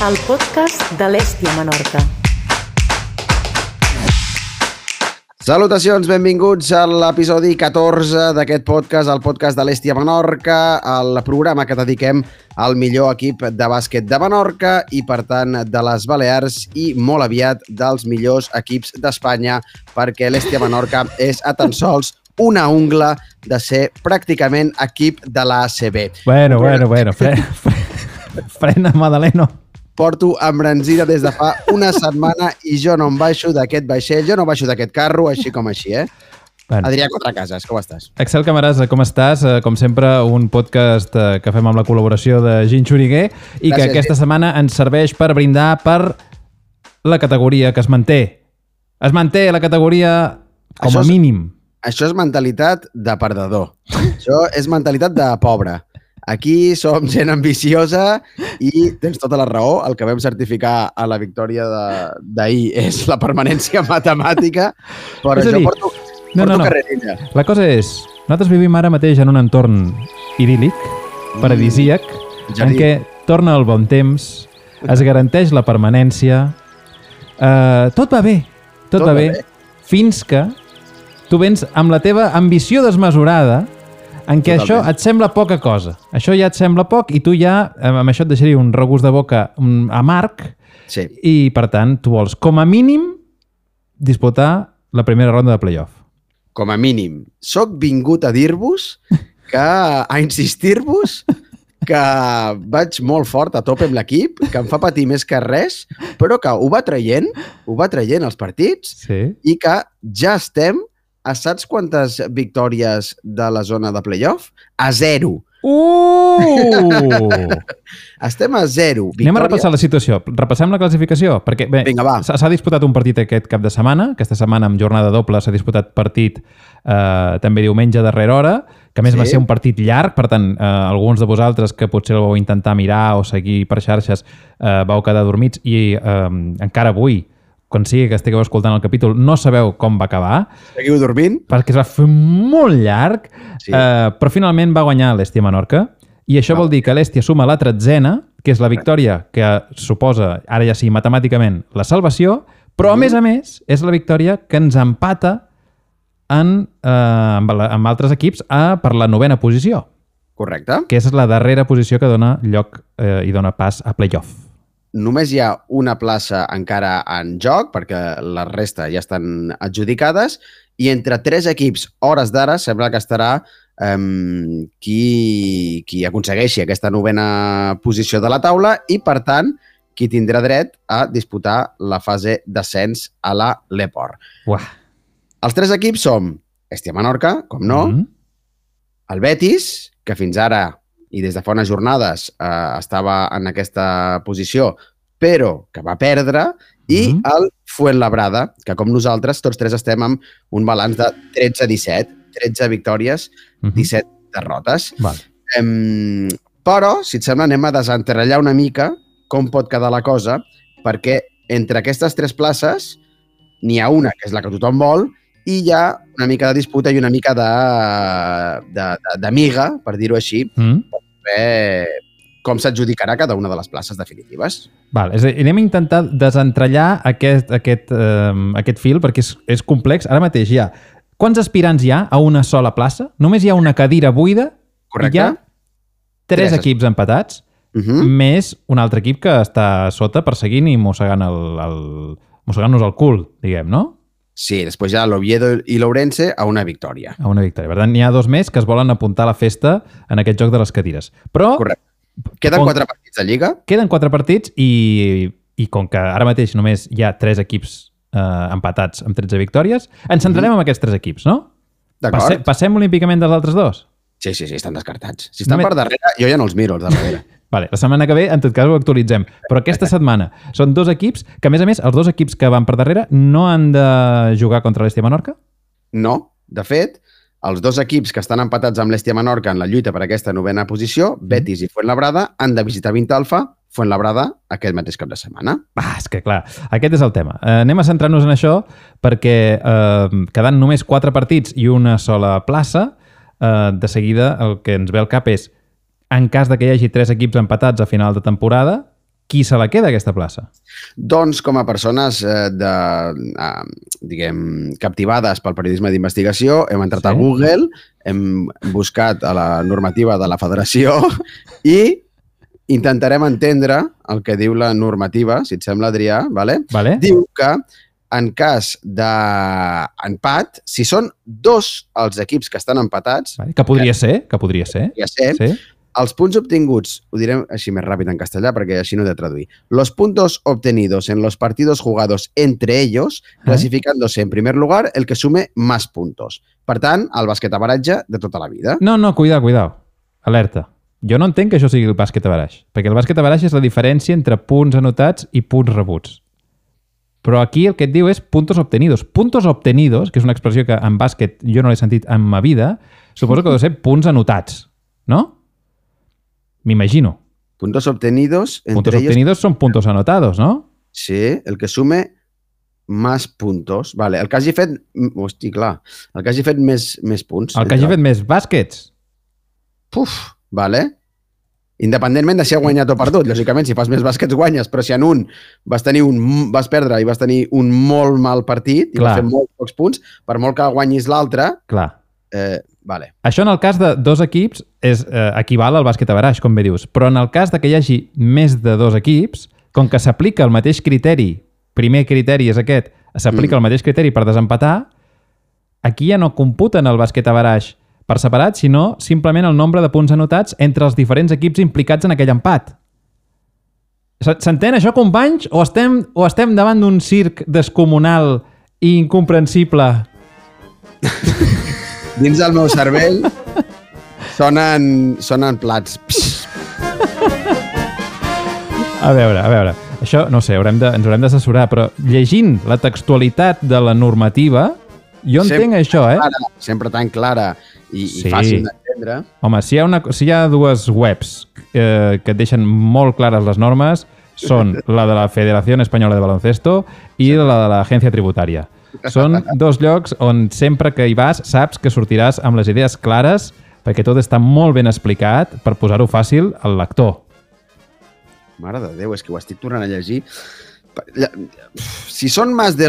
el podcast de l'Hèstia Menorca. Salutacions, benvinguts a l'episodi 14 d'aquest podcast, el podcast de l'Hèstia Menorca, el programa que dediquem al millor equip de bàsquet de Menorca i, per tant, de les Balears i molt aviat dels millors equips d'Espanya, perquè l'Hèstia Menorca és a tan sols una ungla de ser pràcticament equip de l'ACB. Bueno, frena, Madaleno. Porto embranzida des de fa una setmana i jo no em baixo d'aquest vaixell, jo no baixo d'aquest carro, així com així, eh? Bueno. Adrià Contracases, com estàs? Axel Camaràs, com estàs? Com sempre, un podcast que fem amb la col·laboració de Gin Xuriguer i gràcies, que aquesta setmana ens serveix per brindar per la categoria que es manté. Es manté la categoria com a mínim. Això és mentalitat de perdedor. Això és mentalitat de pobre. Aquí som gent ambiciosa i tens tota la raó. El que vam certificar a la victòria d'ahir és la permanència matemàtica, però jo porto carrerilla. La cosa és, nosaltres vivim ara mateix en un entorn idíl·lic, paradisíac, en què torna el bon temps, es garanteix la permanència, tot va bé, tot va bé, fins que tu vens amb la teva ambició desmesurada en què això et sembla poca cosa. Això ja et sembla poc i tu ja, amb això et deixaria un regust de boca amarg i, per tant, tu vols, com a mínim, disputar la primera ronda de playoff. Com a mínim. Soc vingut a dir-vos, a insistir-vos, que vaig molt fort a tope amb l'equip, que em fa patir més que res, però que ho va traient els partits i que ja estem a saps quantes victòries de la zona de playoff? A 0. Estem a 0. Anem a repassar la situació. Repassem la classificació. Perquè s'ha disputat un partit aquest cap de setmana. Aquesta setmana, amb jornada doble, s'ha disputat partit també diumenge a darrera hora, que a més va ser un partit llarg. Per tant, alguns de vosaltres que potser el vau intentar mirar o seguir per xarxes vau quedar dormits i encara avui, quan sigui que estigueu escoltant el capítol, no sabeu com va acabar. Seguiu dormint? Perquè es va fer molt llarg, però finalment va guanyar l'Hèstia Menorca, i això vol dir que l'Hèstia suma la 13ª, que és la victòria que suposa, ara ja sí, matemàticament, la salvació, però a més, és la victòria que ens empata amb altres equips per la 9ª posició. Correcte. Que és la darrera posició que dona lloc i dona pas a playoff. Només hi ha una plaça encara en joc, perquè la resta ja estan adjudicades, i entre 3 equips, hores d'ara, sembla que estarà qui aconsegueixi aquesta 9ª posició de la taula i, per tant, qui tindrà dret a disputar la fase d'ascens a la Leport. Els 3 equips som Hèstia Menorca, com no, el Betis, que fins ara i des de fa unes jornades estava en aquesta posició, però que va perdre, i el Fuenlabrada, que com nosaltres, tots 3 estem amb un balanç de 13-17, 13 victòries, 17 derrotes. Però, si et sembla, anem a desenterrellar una mica com pot quedar la cosa, perquè entre aquestes 3 places n'hi ha una, que és la que tothom vol, i hi ha una mica de disputa i una mica d'amiga, per dir-ho així, com s'adjudicarà cada una de les places definitives. És a dir, anem a intentar desentrellar aquest fil, perquè és complex. Ara mateix hi ha... Quants aspirants hi ha a una sola plaça? Només hi ha una cadira buida. Correcte. I hi ha 3 equips empatats, més un altre equip que està sota perseguint i mossegant-nos el cul, diguem, no? Sí, després hi ha l'Oviedo i l'Ourense a una victòria. A una victòria. Per tant, n'hi ha 2 més que es volen apuntar a la festa en aquest joc de les cadires. Però... Correcte. Queden 4 partits de Lliga. Queden 4 partits i com que ara mateix només hi ha 3 equips empatats amb 13 victòries, ens centrarem en aquests 3 equips, no? D'acord. Passem olímpicament dels altres 2? Sí, estan descartats. Si estan per darrere, jo ja no els miro, els darrere. La setmana que ve, en tot cas, ho actualitzem. Però aquesta setmana són 2 equips que, a més, els 2 equips que van per darrere no han de jugar contra l'Hèstia Menorca? No. De fet, els 2 equips que estan empatats amb l'Hèstia Menorca en la lluita per aquesta 9ª posició, Betis i Fuenlabrada, han de visitar Vintalfa, Fuenlabrada, aquest mateix cap de setmana. És que, clar, aquest és el tema. Anem a centrar-nos en això perquè quedant només 4 partits i una sola plaça, de seguida el que ens ve al cap és, en cas de que hi hagi 3 equips empatats a final de temporada, qui se la queda, aquesta plaça? Doncs com a persones captivades pel periodisme d'investigació, hem entrat a Google, hem buscat a la normativa de la federació i intentarem entendre el que diu la normativa, si et sembla, Adrià, vale? Diu que en cas d'empat, si són dos els equips que estan empatats... Que podria ser. Sí. Els punts obtinguts, ho direm així més ràpid en castellà perquè així no he de traduir. Los puntos obtenidos en los partidos jugados entre ellos, clasificándose en primer lugar el que sume más puntos. Per tant, el basquetabaratge de tota la vida. No, cuidao. Alerta. Jo no entenc que això sigui el basquetabaràs, perquè el basquetabaràs és la diferència entre punts anotats i punts rebuts. Però aquí el que et diu és puntos obtenidos. Puntos obtenidos, que és una expressió que en bàsquet jo no l'he sentit en ma vida, suposo que deu ser punts anotats, no? M'imagino. Puntos obtenidos... Puntos obtenidos son puntos anotados, ¿no? Sí, el que sume más puntos. Vale, el que hagi fet... Hosti, clar. El que hagi fet més punts. El que hagi fet més bàsquets. Puf, vale. Independentment de si ha guanyat o perdut. Lògicament, si fas més bàsquets guanyes, però si en un vas perdre i vas tenir un molt mal partit i vas fer molts pocs punts, per molt que guanyis l'altre... Clar. Vale. Això en el cas de dos equips equival al basquetabaràs, com bé dius, però en el cas de que hi hagi més de dos equips, com que s'aplica el mateix criteri, primer criteri és aquest, s'aplica el mateix criteri per desempatar, aquí ja no computen el basquetabaràs per separat, sinó simplement el nombre de punts anotats entre els diferents equips implicats en aquell empat. S'entén això, companys? O estem davant d'un circ descomunal i incomprensible? Dins del meu cervell sonen plats. A veure. Això, no sé, ens haurem d'assessorar, però llegint la textualitat de la normativa, jo entenc això, Sempre tan clara i fàcil d'entendre. Home, si hi ha dues webs que et deixen molt clares les normes, són la de la Federació Espanyola de Baloncesto i la de l'Agència Tributària. Són dos llocs on sempre que hi vas saps que sortiràs amb les idees clares perquè tot està molt ben explicat per posar-ho fàcil al lector. Mare de Déu, és que ho estic tornant a llegir. Si son más de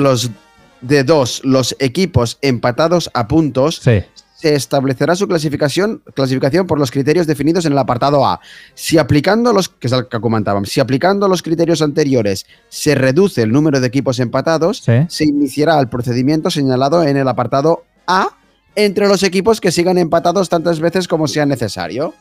dos los equipos empatados a puntos, se establecerá su clasificación por los criterios definidos en el apartado A. Si aplicando que es el que comentábamos, si aplicando los criterios anteriores se reduce el número de equipos empatados, se iniciará el procedimiento señalado en el apartado A entre los equipos que sigan empatados tantas veces como sea necesario.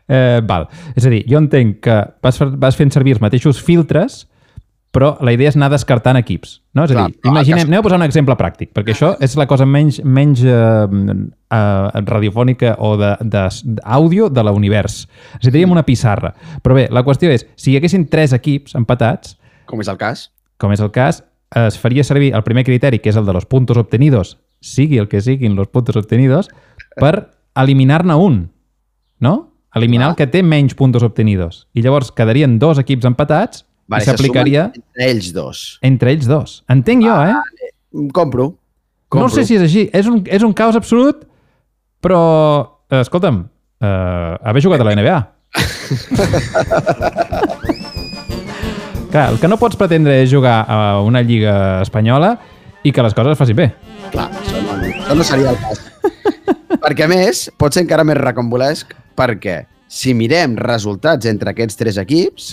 Val. És a dir, jo entenc que vas fent servir els mateixos filtres, però la idea és anar descartant equips. No? És a dir, imaginem, anem a posar un exemple pràctic, perquè això és la cosa menys radiofònica o d'àudio de l'univers. Necessitaríem una pissarra. Però bé, la qüestió és, si hi haguessin 3 equips empatats... Com és el cas, es faria servir el primer criteri, que és el de los puntos obtenidos, sigui el que siguin los puntos obtenidos, per eliminar-ne un, no? Eliminar el que té menys puntos obtenidos. I llavors quedarien 2 equips empatats i s'aplicaria... Entre ells dos. Entre ells dos. Entenc jo, Compro. No sé si és així. És un caos absolut, però, escolta'm, haver jugat a la NBA. Clar, el que no pots pretendre és jugar a una lliga espanyola i que les coses es facin bé. Clar, això no seria el cas. Perquè, a més, pot ser encara més recombolesc perquè si mirem resultats entre aquests 3 equips,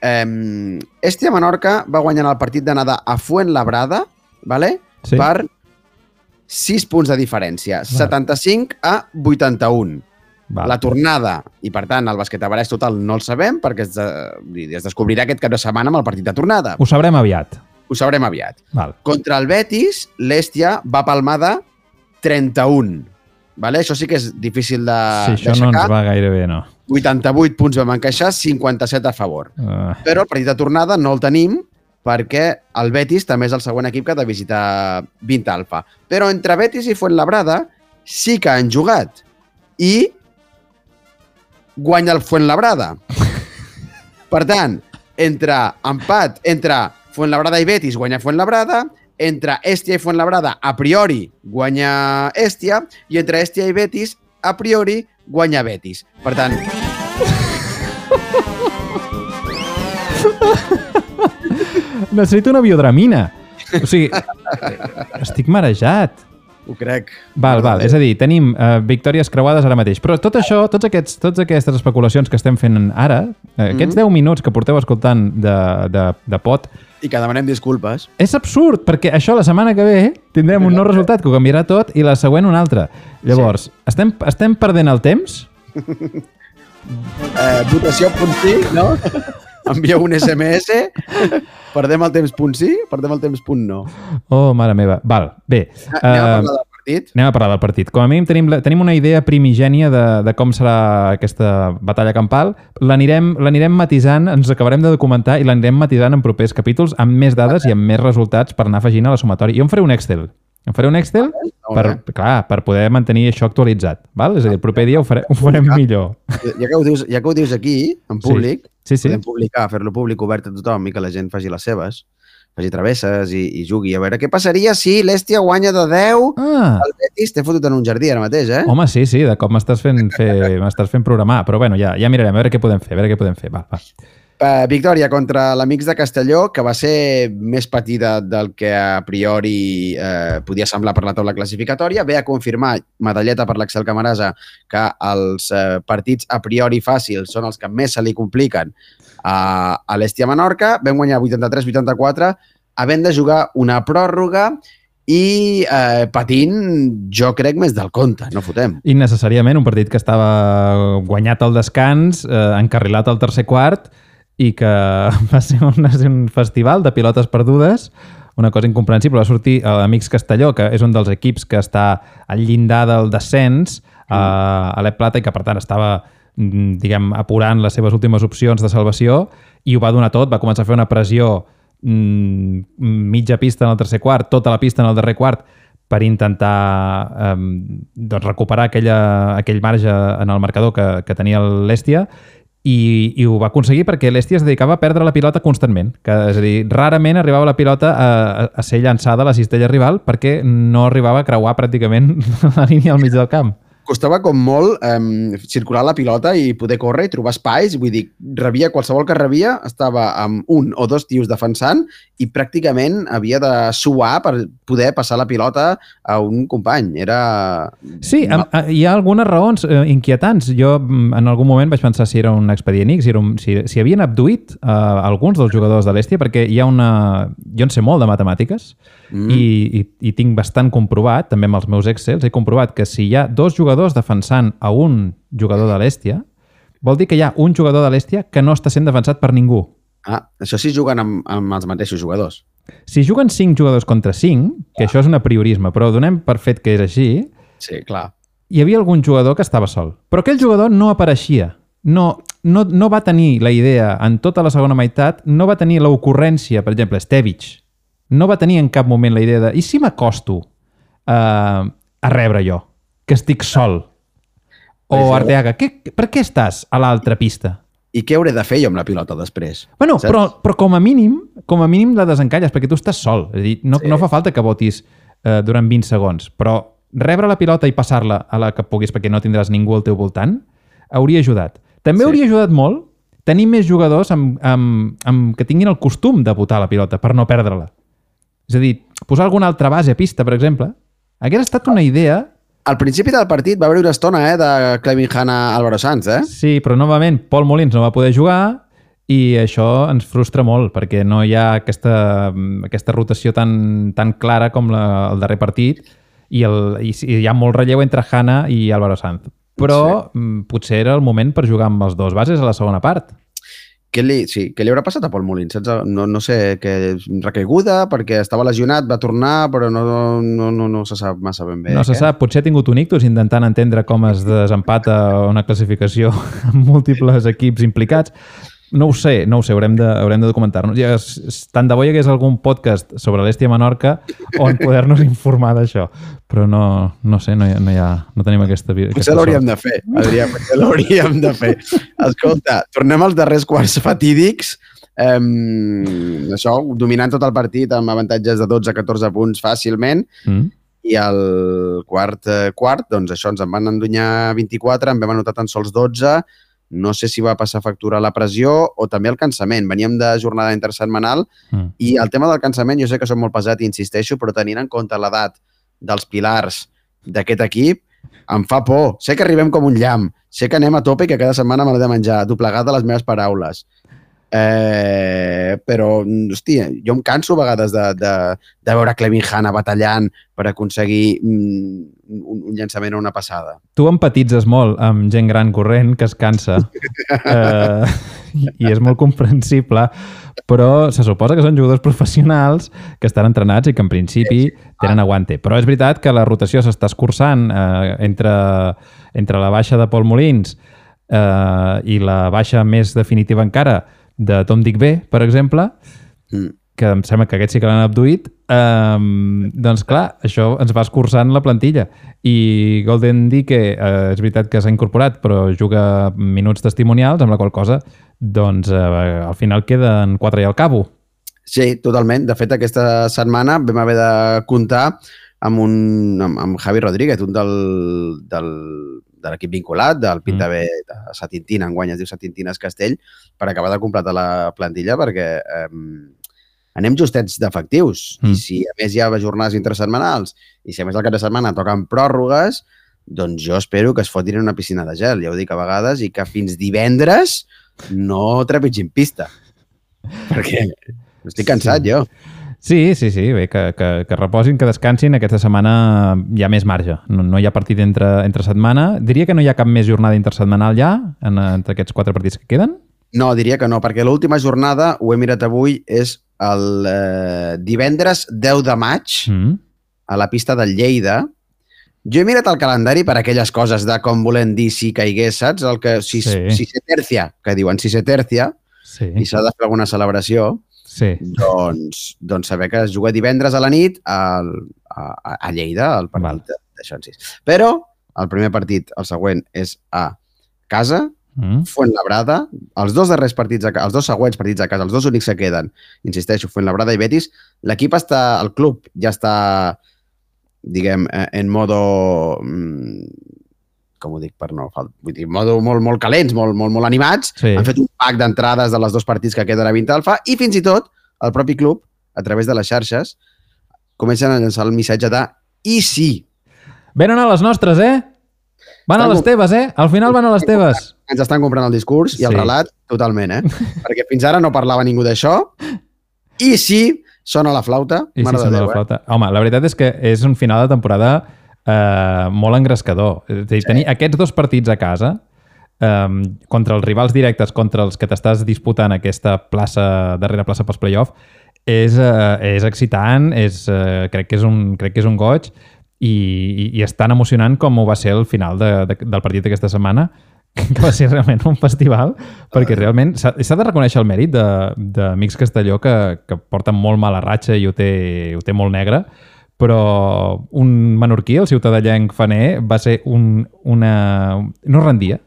Estia Menorca va guanyar el partit d'anada a Fuenlabrada, vale? Per 6 punts de diferència, 75-81. La tornada, i per tant el basquetabaràs total no el sabem perquè es descobrirà aquest cap de setmana amb el partit de tornada. Ho sabrem aviat. Val. Contra el Betis, l'Estia va palmar de 31. Vale? Això sí que és difícil d'aixecar. Sí, això no ens va gaire bé, no. 88 punts vam encaixar, 57 a favor. Però el partit de tornada no el tenim perquè el Betis també és el següent equip que ha de visitar 20 Alfa. Però entre Betis i Fuenlabrada sí que han jugat. I guanya el Fuenlabrada. Per tant, entre Fuenlabrada i Betis guanya Fuenlabrada, entre Estia i Fuenlabrada a priori guanya Estia i entre Estia i Betis a priori guanya Betis. Per tant... Necessito una biodramina. O sigui, estic marejat. Ho crec. Val. És a dir, tenim victòries creuades ara mateix. Però tot això, totes aquestes especulacions que estem fent ara, aquests 10 minuts que porteu escoltant de pot... I que demanem disculpes. És absurd, perquè això la setmana que ve tindrem un nou resultat que ho canviarà tot i la següent un altre. Llavors, estem perdent el temps? Votació punt sí, no? Envieu un SMS. Perdem el temps punt sí, perdem el temps punt no. Oh, mare meva. Val, bé. Anem a parlar del partit. Com a mínim tenim una idea primigènia de com serà aquesta batalla campal. L'anirem matisant, ens acabarem de documentar i l'anirem matisant en propers capítols amb més dades i amb més resultats per anar afegint a la sumatòria. Jo em faré un Excel. Per poder mantenir això actualitzat. Val? És a dir, el proper dia ho farem millor. Ja que ho dius aquí, en públic, sí. podem publicar, fer-lo públic obert a tothom i que la gent faci les seves, faci travesses i jugui. A veure, què passaria si l'Hèstia guanya de 10? El Betis t'he fotut en un jardí ara mateix, eh? Home, sí, de cop m'estàs fent programar, però bueno, ja mirarem, a veure què podem fer, Va. Victòria contra l'Amics de Castelló, que va ser més patida del que a priori podia semblar per la taula classificatòria. Ve a confirmar, medalleta per l'Axel Camarasa, que els partits a priori fàcils són els que més se li compliquen a l'Hèstia Menorca. Vam guanyar 83-84, havent de jugar una pròrroga i patint, jo crec, més del compte, no fotem. Innecessàriament, un partit que estava guanyat al descans, encarrilat al tercer quart, i que va ser un festival de pilotes perdudes, una cosa incomprensible. Va sortir l'Amics Castelló, que és un dels equips que està al llindar del descens a l'Ep Plata i que, per tant, estava, diguem, apurant les seves últimes opcions de salvació i ho va donar tot. Va començar a fer una pressió mitja pista en el tercer quart, tota la pista en el darrer quart, per intentar recuperar aquell marge en el marcador que tenia l'Hèstia. I ho va aconseguir perquè l'Hèstia es dedicava a perdre la pilota constantment. És a dir, rarament arribava la pilota a ser llançada a la cistella rival perquè no arribava a creuar pràcticament la línia al mig del camp. Costava com molt circular la pilota i poder córrer i trobar espais. Vull dir, qualsevol que rebia estava amb un o dos tios defensant i pràcticament havia de suar per poder passar la pilota a un company. Sí, hi ha algunes raons inquietants. Jo en algun moment vaig pensar si era un expedient X, si havien abduït alguns dels jugadors de l'Hèstia, perquè hi ha jo en sé molt de matemàtiques i tinc bastant comprovat, també amb els meus Excels, he comprovat que si hi ha dos jugadors defensant a un jugador de l'Hèstia, vol dir que hi ha un jugador de l'Hèstia que no està sent defensat per ningú. Això sí juguen amb els mateixos jugadors. Si juguen 5 jugadors contra 5, que això és un apriorisme, però donem per fet que és així, sí, clar. Hi havia algun jugador que estava sol. Però aquell jugador no apareixia. No va tenir la idea en tota la segona meitat, no va tenir l'ocurrència, per exemple, Stevic, no va tenir en cap moment la idea de i si m'acosto a rebre jo, que estic sol? O Arteaga, per què estàs a l'altra pista? I què hauré de fer jo amb la pilota després? Bueno, però com a mínim la desencalles, perquè tu estàs sol. És a dir, no fa falta que votis durant 20 segons, però rebre la pilota i passar-la a la que puguis perquè no tindràs ningú al teu voltant, hauria ajudat. També hauria ajudat molt tenir més jugadors que tinguin el costum de botar la pilota per no perdre-la. És a dir, posar alguna altra base a pista, per exemple, hagués estat una idea. Al principi del partit va haver una estona de Clevin Hanna Álvaro Sanz, Sí, però novament Pol Molins no va poder jugar i això ens frustra molt perquè no hi ha aquesta rotació tan clara com el darrer partit i hi ha molt relleu entre Hanna i Álvaro Sanz. Però potser era el moment per jugar amb els dos bases a la segona part. Què li haurà passat a Pol Molins? No sé, que recaiguda, perquè estava lesionat, va tornar, però no se sap massa ben bé. No se sap, potser ha tingut un ictus intentant entendre com es desempata una classificació amb múltiples equips implicats. No ho sé, haurem de documentar-nos. Tant de bo hi hagués algun podcast sobre l'Hèstia Menorca on poder-nos informar d'això. Però no sé, no tenim aquesta potser l'hauríem de fer, Adrià, potser l'hauríem de fer. Escolta, tornem als darrers quarts fatídics. Això, dominant tot el partit amb avantatges de 12-14 punts fàcilment. i el quart, doncs això, ens en van endunyar 24, en vam anotar tan sols 12, no sé si va passar factura a la pressió o també el cansament. Veníem de jornada intersetmanal i el tema del cansament, jo sé que som molt pesat i insisteixo, però tenint en compte l'edat dels pilars d'aquest equip, em fa por. Sé que arribem com un llamp, sé que anem a tope i que cada setmana me l'he de menjar, doblegat de les meves paraules. Però, hòstia, jo em canso a vegades de veure Clevin Hanna batallant per aconseguir un llançament o una passada. Tu empatitzes molt amb gent gran corrent que es cansa i és molt comprensible, però se suposa que són jugadors professionals que estan entrenats i que en principi tenen aguante. Però és veritat que la rotació s'està escurçant entre la baixa de Pol Molins i la baixa més definitiva encara de Tom Digbe, per exemple, que em sembla que aquest sí que l'han abduït, doncs clar, això ens va escurçant la plantilla. I Golden Dike, és veritat que s'ha incorporat, però juga minuts testimonials, amb la qual cosa, doncs al final queden 4 i al cabo. Sí, totalment. De fet, aquesta setmana vam haver de comptar amb Javi Rodríguez, un de l'equip vinculat, del Pinta B de Satintina, enguany es diu Satintines Castell, per acabar de completar la plantilla, perquè anem justets d'efectius. I si a més hi ha jornades intersetmanals i si a més el cap de setmana toquen pròrrogues, doncs jo espero que es fotin en una piscina de gel, ja ho dic a vegades, i que fins divendres no trepitgin pista. Perquè estic cansat, jo. Sí, bé, que reposin, que descansin. Aquesta setmana hi ha més marge. No hi ha partit entre setmana. Diria que no hi ha cap més jornada intersetmanal ja, entre aquests 4 partits que queden? No, diria que no, perquè l'última jornada, ho he mirat avui, és el divendres 10 de maig a la pista del Lleida. Jo he mirat el calendari per aquelles coses de com volem dir si caigués, saps? El que si se tercia, que diuen si se tercia, i s'ha de fer alguna celebració. Doncs saber que es juga divendres a la nit a Lleida, al partit de Xonsis. Però el primer partit, el següent, és a casa, Fuenlabrada. Els 2 darrers partits, els 2 següents partits a casa, els 2 únics que queden, insisteixo, Fuenlabrada i Betis, l'equip està, el club ja està, diguem, en modo... com ho dic per no... Vull dir, modo molt calents, molt animats. Han fet un pack d'entrades de les 2 partits que queden a Vintalfa i fins i tot el propi club, a través de les xarxes, comencen a llançar el missatge de i sí. Venen a les nostres, Van a les teves, Al final van a les teves. Ens estan comprant el discurs i el relat totalment, Perquè fins ara no parlava ningú d'això. I sí, sona la flauta. I sí, sona la flauta. Home, la veritat és que és un final de temporada molt engrescador. És a dir, tenir aquests 2 partits a casa contra els rivals directes, contra els que t'estàs disputant aquesta darrera plaça pels play-off, és excitant, crec que és un goig i és tan emocionant com ho va ser el final del partit d'aquesta setmana, que va ser realment un festival, perquè realment s'ha de reconèixer el mèrit d'Amics Castelló, que porten molt mala ratxa i ho té molt negre, però un menorquí, el ciutadellenc Faner, va ser no rendia,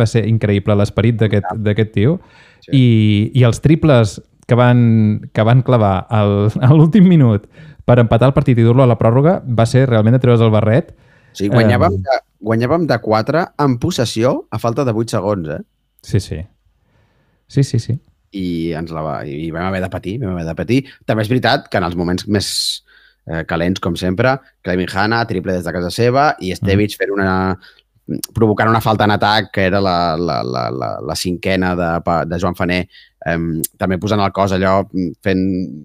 va ser increïble l'esperit d'aquest tio, i els triples que van clavar a l'últim minut per empatar el partit i dur-lo a la pròrroga va ser realment de treure's el barret. Sí, guanyàvem de 4 en possessió a falta de 8 segons, Sí. I vam haver de patir. També és veritat que en els moments més calents, com sempre, Clevin Hanna, triple des de casa seva, i Estevich provocant una falta en atac, que era la 5a de Joan Faner, també posant el cos allò, fent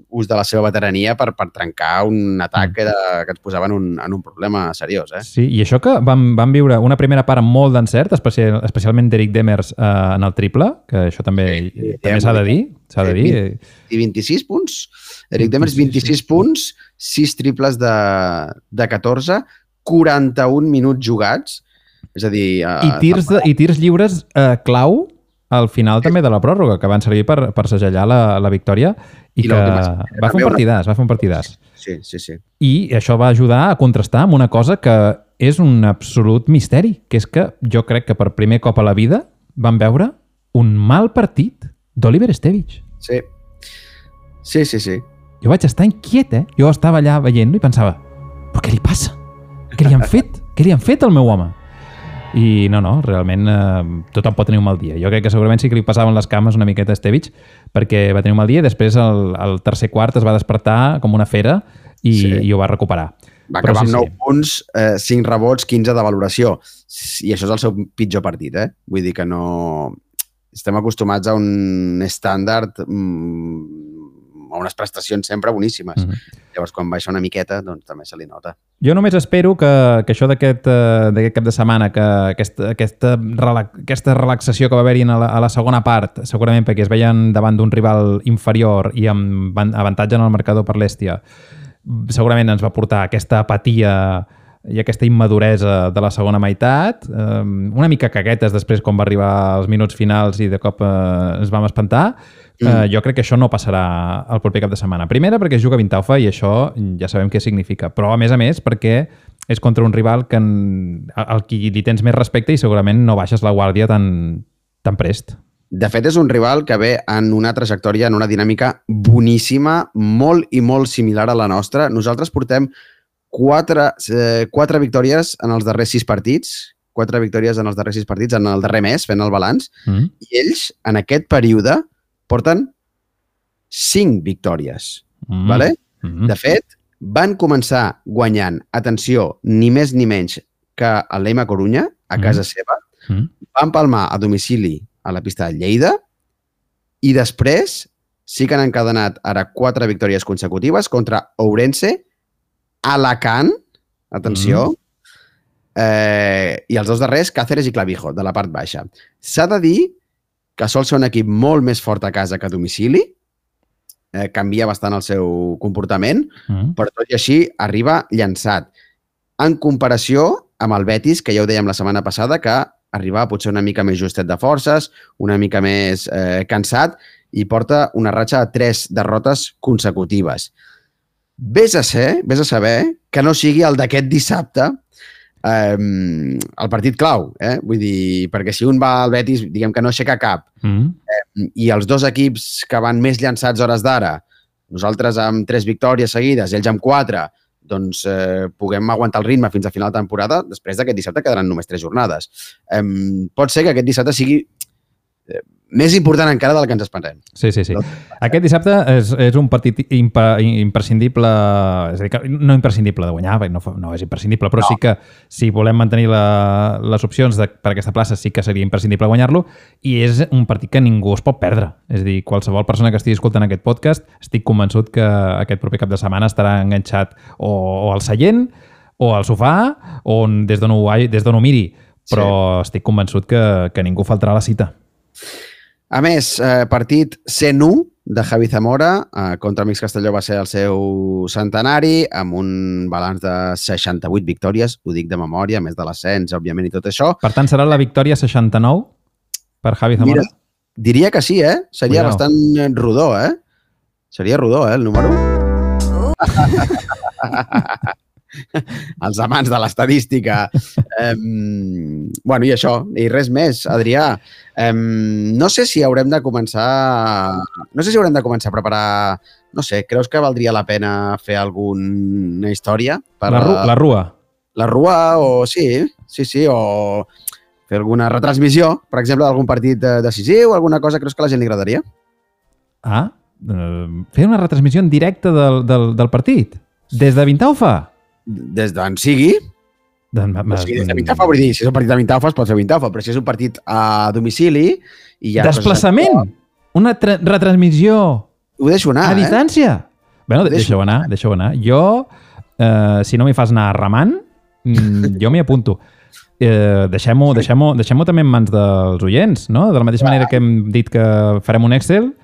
ús de la seva veterania per trencar un atac que ens posava en un problema seriós. Sí, i això que vam viure una primera part amb molt d'encert, especialment d'Eric Demers en el triple, que això també s'ha de dir. I 26 punts. Eric Demers, 26 punts, 6 triples de 14, 41 minuts jugats. És a dir... I tirs lliures clau al final també de la pròrroga, que van servir per segellar la victòria i que va fer un partidàs. Sí. I això va ajudar a contrastar amb una cosa que és un absolut misteri, que és que jo crec que per primer cop a la vida vam veure un mal partit d'Oliver Estevich. Sí. Jo vaig estar inquiet, Jo estava allà veient-lo i pensava, però què li passa? Què li han fet? Què li han fet al meu home? I no, realment tothom pot tenir un mal dia. Jo crec que segurament sí que li passaven les cames una miqueta a Estevich, perquè va tenir un mal dia i després el tercer quart es va despertar com una fera i ho va recuperar. Va acabar amb 9 punts, 5 rebots, 15 de valoració. I això és el seu pitjor partit, eh? Vull dir que no... Estem acostumats a un estàndard, a unes prestacions sempre boníssimes. Llavors, quan baixa una miqueta, doncs també se li nota. Jo només espero que això d'aquest cap de setmana, que aquesta relaxació que va haver-hi a la segona part, segurament perquè es veien davant d'un rival inferior i amb avantatge en el marcador per l'Hèstia, segurament ens va portar aquesta apatia i aquesta immaduresa de la segona meitat, una mica caguetes després quan va arribar als minuts finals i de cop ens vam espantar. Jo crec que això no passarà el proper cap de setmana. Primera, perquè juga Vintaufa i això ja sabem què significa, però a més perquè és contra un rival al qui li tens més respecte i segurament no baixes la guàrdia tan prest. De fet, és un rival que ve en una trajectòria, en una dinàmica boníssima, molt i molt similar a la nostra. Nosaltres portem 4 victòries en els darrers 6 partits, 4 victòries en els darrers 6 partits, en el darrer mes, fent el balanç, i ells, en aquest període, porten 5 victòries. Vale? De fet, van començar guanyant, atenció, ni més ni menys que el Leima Corunya, a casa seva, van palmar a domicili a la pista de Lleida i després sí que han encadenat ara 4 victòries consecutives contra Ourense, Alacant, atenció, i els 2 darrers, Cáceres i Clavijo, de la part baixa. S'ha de dir que sol ser un equip molt més fort a casa que a domicili, canvia bastant el seu comportament, però tot i així arriba llançat. En comparació amb el Betis, que ja ho dèiem la setmana passada, que arribava potser una mica més justet de forces, una mica més cansat, i porta una ratxa de 3 derrotes consecutives. Vés a saber que no sigui el d'aquest dissabte el partit clau, vull dir, perquè si un va al Betis, diguem que no aixeca cap, i els 2 equips que van més llançats hores d'ara, nosaltres amb 3 victòries seguides, ells amb 4, doncs puguem aguantar el ritme fins a final de temporada, després d'aquest dissabte quedaran només 3 jornades. Pot ser que aquest dissabte sigui més important encara del que ens esperem. Sí. Aquest dissabte és un partit imprescindible, és a dir, no imprescindible de guanyar, no és imprescindible, però sí que si volem mantenir les opcions per aquesta plaça sí que seria imprescindible guanyar-lo, i és un partit que ningú es pot perdre. És a dir, qualsevol persona que estigui escoltant aquest podcast, estic convençut que aquest proper cap de setmana estarà enganxat o al seient o al sofà o des d'on ho miri, però estic convençut que ningú faltarà a la cita. A més, partit 101 de Javi Zamora contra Amics Castelló va ser el seu centenari, amb un balanç de 68 victòries, ho dic de memòria, a més de l'ascens, òbviament, i tot això. Per tant, serà la victòria 69 per Javi Zamora? Mira, diria que sí, Seria bastant rodó, Seria rodó, el número. Els amants de l'estadística. I això, i res més, Adrià. No sé si haurem de començar a preparar, no sé, creus que valdria la pena fer alguna història? La Rua. La Rua, o sí, o fer alguna retransmissió, per exemple, d'algun partit decisiu, alguna cosa, creus que a la gent li agradaria? Fer una retransmissió en directe del partit? Des de Vintaufa? Des d'on sigui. Des de Vintaufa, vull dir, si és un partit de Vintaufa es pot fer Vintaufa, però si és un partit a domicili... Desplaçament! Una retransmissió... Ho deixo anar, a distància? Bueno, deixa-ho anar. Jo, si no m'hi fas anar remant, jo m'hi apunto. Deixem-ho també en mans dels oients, no? De la mateixa manera que hem dit que farem un Excel,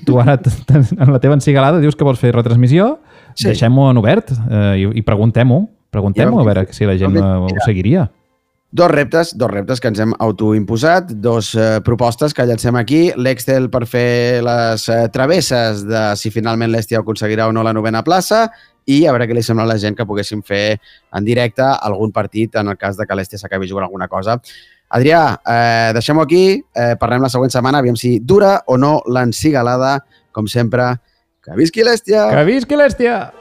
tu ara en la teva encigalada dius que vols fer retransmissió, deixem-ho en obert i preguntem-ho a veure si la gent ho seguiria. Dos reptes que ens hem autoimposat, 2 propostes que llancem aquí, l'Excel per fer les travesses de si finalment l'Hèstia aconseguirà o no la 9ª plaça i a veure què li sembla a la gent que poguéssim fer en directe algun partit en el cas de que l'Hèstia s'acabi jugant alguna cosa. Adrià, deixem-ho aquí, parlem la següent setmana, aviam si dura o no l'encigalada, com sempre. Que visqui l'Hèstia! Que visqui l'Hèstia!